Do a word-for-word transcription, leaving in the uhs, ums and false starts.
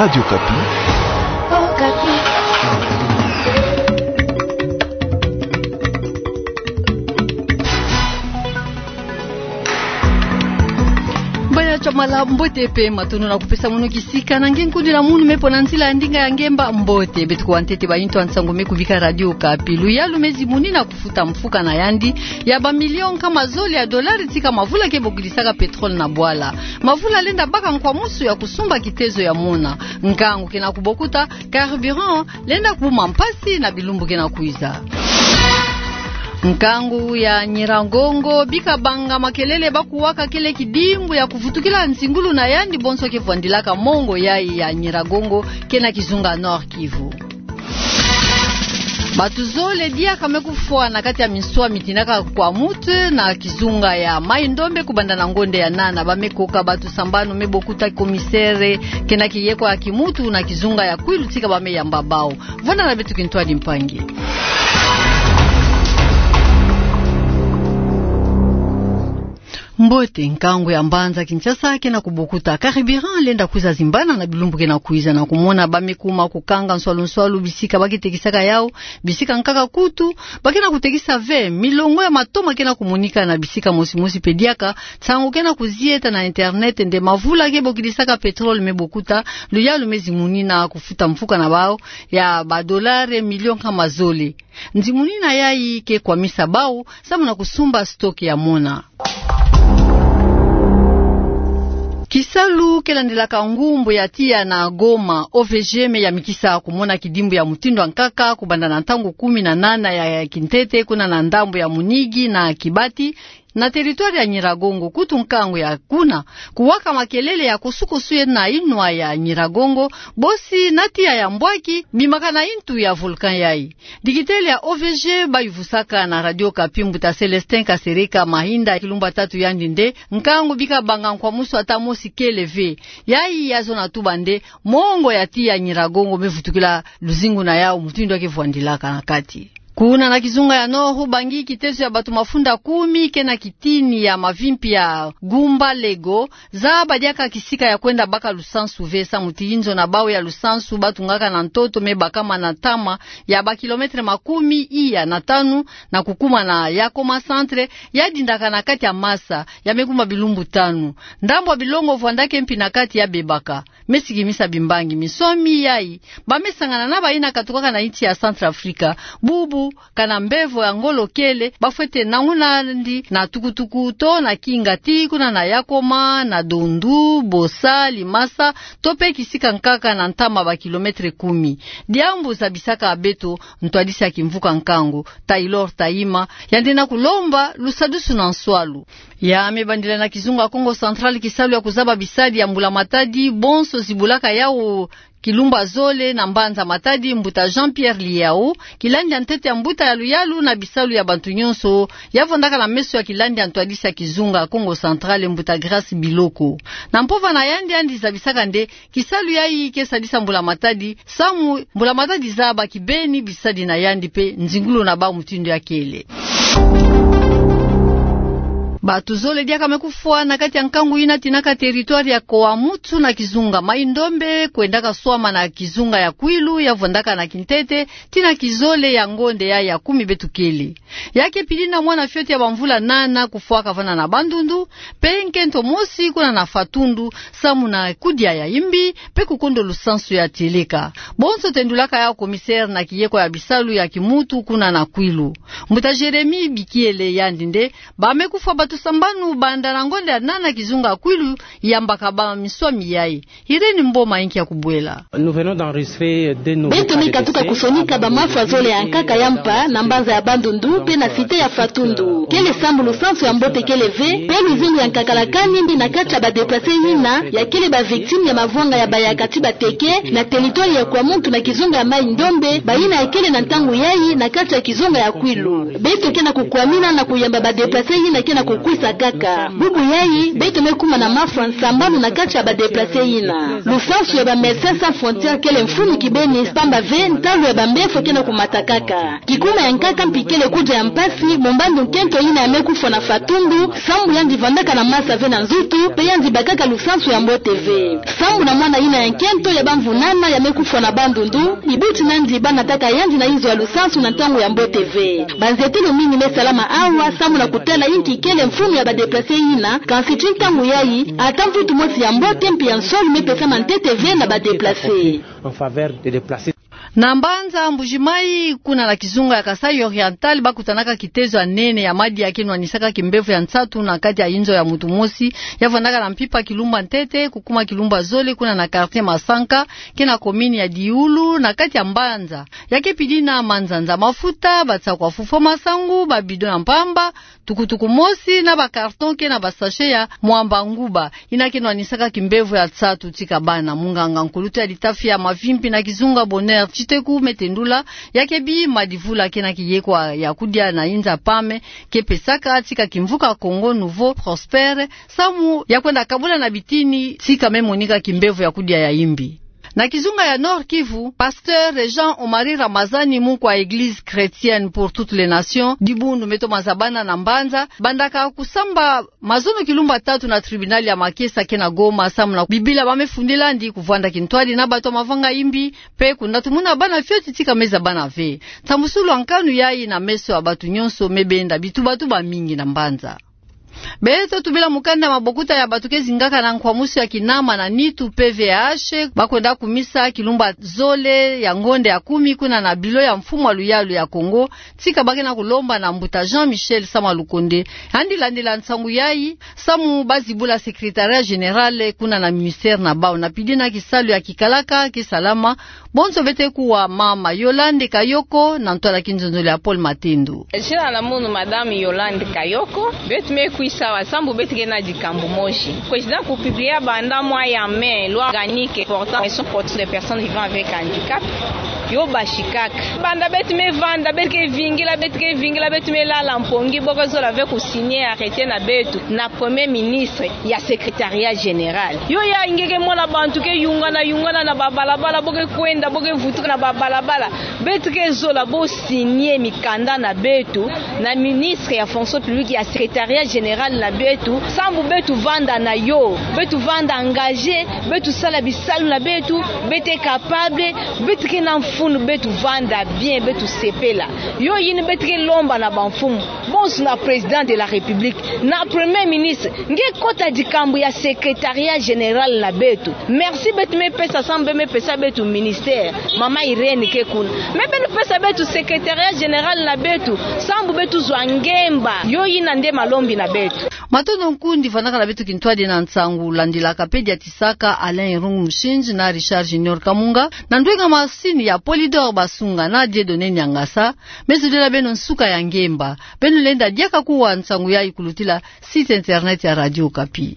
Radio Okapi. Baya Chamala, mbote pe matondo na kupesa mono kisika na nge nkundila munu me pona nzila ya ndinga ya nge mba mbote. Beto kuwa ntete ba intu ya nsangu me kubika Radio Okapi. Luyalu me zimuni na kufuta mfuka na yandi ya ba millions nkama zole ya dollars tika mavula ke bokilisaka pétrole na bwala. Mavula lenda baka nkwamusu ya kusumba kitezo ya mona. Nkangu ke na kubokuta, carburant lenda kuma mpasi na bilumbu ke na kwiza. Nkangu ya Nyiragongo, bika banga makelele ba kuwaka kele kidimbu ya kuvutukila nzingulu na yandi bonso ke vwandilaka mongo yayi ya Nyiragongo, ke na kizunga Nord-Kivu. Bato zole diaka me kufwa na kati ya minswa mitinaka kwa mutu na kizunga ya Mai-Ndombe kubanda na ngonde ya nana. Ba me koka bato sambanu, me bokuta commissaire ke na kiyeko ya kimutu na kizunga ya Kwilu tika ba me yamba bawu. Vwanda na beto kintwadi mpangi. Mbote, nkangu ya mbanza Kinshasa ke na kubokuta. Carburant lenda kwiza zimbana na bilumbu ke na kwiza, na kumona ba me kuma kukanga nswalu-nswalu bisika ba ke tekisaka yawu, bisika nkaka kutu ba ke na kutekisa ve. Milongo ya matoma ke na kumonika na bisika mosi-mosi pe diaka. Nsangu ke na kuzieta na internet nde mavula ke bokilisaka pétrole me bokuta, luyalu me zimuni na kufuta mfuka na bawu ya ba dollars millions nkama zole. Nzimuni na yayi ke kwamisa bawu samu na kusumba stock ya mona. Kisalu ke landilaka ngumbu ya tiya na Goma, O V G, me yamikisa kumona kidimbu ya mutindu ya nkaka kubanda na ntangu kumi na nana ya kintete kuna na ndambu ya Munigi na Kibati, na territoire ya Nyiragongo. Kutu nkangu ya kuna kuwaka makelele ya kusu-kusu ye na inwa ya Nyiragongo, bosi na tiya ya mbwaki bimaka na intu ya volcan yayi. Dikitele ya O V G ba yuvusaka na Radio Okapi, mbuta Célestin Kasereka Mahinda, kilumbu ya tatu, yandi nde nkangu bika banga nkwamusu ata mosi kele ve. Yayi ya zona tuba nde mongo ya tiya Nyiragongo me vutukila luzingu na yawu mutindu ya ke vwandilaka na kati. Kuna na kizunga ya Nord-Ubangi, kitezo ya bato mafunda kumi ke na kitini ya mavimpi ya Gumba Lego, zaba diaka kisika ya kwenda baka lusansu ve samu ti inzo na bawu ya lusansu ba tungaka na ntoto me bakama na ntama ya ba kilomètre makumi iya na tanu, na kukuma na Yakoma Centre, ya dindaka na kati ya masa, ya me kuma bilumbu tanu. Ndambu ya bilongo vwandaka mpi na kati ya bebaka. Me sikimisa bimbangi minswami yayi, ba me sangana na bayina katukaka na insi ya Centrafrique, bubu kana mbevo ya ngolo kele, ba fwete nanguna nandi na tukutuku to na kinga tii kuna na Yakoma, na Dondu, Bossa, Limasa, to pe kisika nkaka na ntama ba kilomètre kumi. Diambu zabisaka beto ntwadisi ya kimvuka nkangu, Taylor Tayima, yandi na kulomba lusadusu na nswalu. Ya me bandila na kizunga Kongo Central kisalu ya kuzaba bisadi ya mbula-matadi bonso zibulaka yawu kilumbu ya zole na mbanza Matadi, mbuta Jean-Pierre Liyao, kilandi ya ntete ya mbuta ya luyalu na bisalu ya bantu nyonso, ya vwandaka na meso ya kilandi ya ntwadisi ya kizunga Kongo Central, mbuta Grâce Biloko. Na mpova na yandi, yandi zabisaka nde kisalu yayi ke sadisa mbula-matadi, samu mbula-matadi zaba kibeni bisadi na yandi pe nzingulu na bawu mutindu ya kele. Bato zole diaka me kufwa na kati ya nkangu yina tinaka territoire ya Koamutu na kizunga Mai-Ndombe, kwendaka swama na kizunga ya Kwilu, ya vwandaka na kintete tii na kizole ya ngonde ya, ya kumi beto kele. Ya ke pili na mwana fioti ya bamvula nana kufwaka vana na Bandundu, pe nkento mosi kuna na Fatundu, samu na kudia ya imbi, pe kukondo lusansu ya tieleka. Bonso tendulaka yawu commissaire na kiyeko ya bisalu ya kimutu kuna na Kwilu. Mbuta Jérémie Bikiele, yandi nde ba me kufwa bato sambanu banda na ngonde ya nana kizunga Kwilu, yambaka ba minswami yayi. Irène Mboma inki ya kubwela. Beto me katuka kusonika bamafu ya zole ya nkaka ya mpa na mbanza ya Bandundu pe na cité ya Fatundu. Kele sambu lusansu ya mbote kele ve, pe luzingu ya nkakalakani mbi na kati ya ba déplacés yina ya kele ba victimes ya mavwanga ya bayaka ti bateke na territoire ya Koamutu na kizunga ya Mai-Ndombe, bayina ya kele na ntangu yayi na kati ya kizunga ya Kwilu. Beto ke na kukwamina na kuyamba ba déplacés yina ke na ku kwisa kaka. Bubu yayi, beto me kuma na mafwa nsambanu na kati ya ba déplacés yina. Lusansu ya ba Médecins Sans Frontières kele mfunu kibeni, pamba ve ntalu ya bambefo kena kumata kaka. Kikuma ya nkaka mpi kele kudia ya mpasi, mu mbandu nkento yina ya me kufwa na fatundu, sambu yandi vandaka na masa ve na nzutu, mpe yandi bakaka lusansu ya mbote ve. Sambu na mwana yina ya nkento ya bamvu nana ya me kufwa na bandundu, ibuti nandi ba nataka yandi na inzo ya lusansu na ntangu ya mbote ve. Banzietelo mingi me salama awa, sambu na kutala inki kele mfunu ya ba déplacés yina, kansi ti ntangu yayi, ata mvutu mosi ya mbote mpi ya nsoni me pesama ntete ve na ba déplacés. En faveur des déplacés. Na mbanza Mbuji-Mayi, kuna na kizunga ya Kasaï Oriental, ba kutanaka kitezo ya nene ya madia ke nwanisaka kimbevo ya nsatu na kati ya inzo ya mutu mosi, ya vandaka na mpimpa kilumba ntete, kukuma kilumba zole, kuna na quartier Masanka, ke na commune ya Dioula, na kati ya mbanza. Ya ke pidi na manzanza mafuta, batsakwa fufwa masangu, ba bidon ya mpamba, tukutuku mosi na ba carton ke na ba sachet ya mwamba nguba, yina ke nwanisaka kimbevo ya nsatu tika bana. Munganga nkulutu ya litafi ya mavimpi na kizunga Bonheur Tshiteku me tendula, ya ke bi madivula ke na kiyekwa ya kudia na inza pame, ke pesaka tika kimvuka Congo Nouveau Prospère, samu ya kwenda kabula na bitini tika me monika kimbevo ya kudia ya imbi. Na kizunga ya Nord-Kivu, pasteur Jean Omari Ramazani, mukwa Église Chrétienne pour toutes les Nations, Dibundu, me toma zabana na mbanza, bandaka kusamba mazono kilumba tatu na tribunal ya Makesa ke na Goma, samu na Bibila ba me fundila'andi kuvwanda kintwadi na bato ya mavanga imbi, mpe kundatumuna bana fioti tika me zabana ve. Ntambusulu ya nkanu yayi na meso ya bato nyonso me benda bitubatuba mingi na mbanza. Beto tubila mukanda mabokuta ya bato ke zingaka na nkwamusu ya kinama na nitu, P V H, ba kwenda kumisa kilumba zole ya ngonda ya kumi kuna na bilo ya mfumu ya luyalu ya Congo, tika ba ke na kulomba na mbuta Jean-Michel Sama Lukonde, yandi landila nsangu yayi, samu ba zibula secrétariat général kuna na ministère na bawu, na pidi na kisalu ya kikalaka ke salama. Bonso beto kuwa mama Yolande Kayoko, na ntwala kinzonzolo ya Paul Matendo. Zina na munu Madame Yolande Kayoko. Beto me kwisa awa sambu beto ke na dikambu mosi. Président ku publier banda mois ya mai loi organique portant protection des personnes vivant avec handicap. Yo basikaka. Banda beto me vanda, beto ke vingila, beto ke vingila, beto me lala mpongi, bo ke zola ve ku signer arrêté na beto, na Premier ministre ya secrétariat général. Yo ya nge ke mona bantu ke yungana, yungana na babalabala, bo ke kwenda, bo ke vutuka na babalabala. Beto ke zola bo signer mikanda na beto, na ministre ya fonction publique, ya secrétariat général na beto, sambu beto vanda na yo, beto vanda engagé, beto sala bisalu na beto, beto capable, beto ke na mfunu, beto vanda bien, beto sepela. Yo yina beto ke lomba na bamfumu bonso, na président de la République, na Premier ministre, nge kota dikambu ya secrétariat général na beto. Merci beto me pesa sambu be me pesa beto ministère. Mama Irène ke kuna. Mais beno pesa beto secrétariat général na beto, sambu beto zwa ngemba. Yo yina nde malombi na beto. Matondo nkundi vandaka na beto kintwadi na nsangu landilaka pe dia tisaka, Alain Irungu Mushinji na Richard Junior Kamunga, na ndwenga masini ya Polydor Basunga na Dieudonné Niangasa. Me zodila beno nsuka ya ngemba. Beno lenda diaka kuwa nsangu yayi kulutila site internet ya Radio Okapi.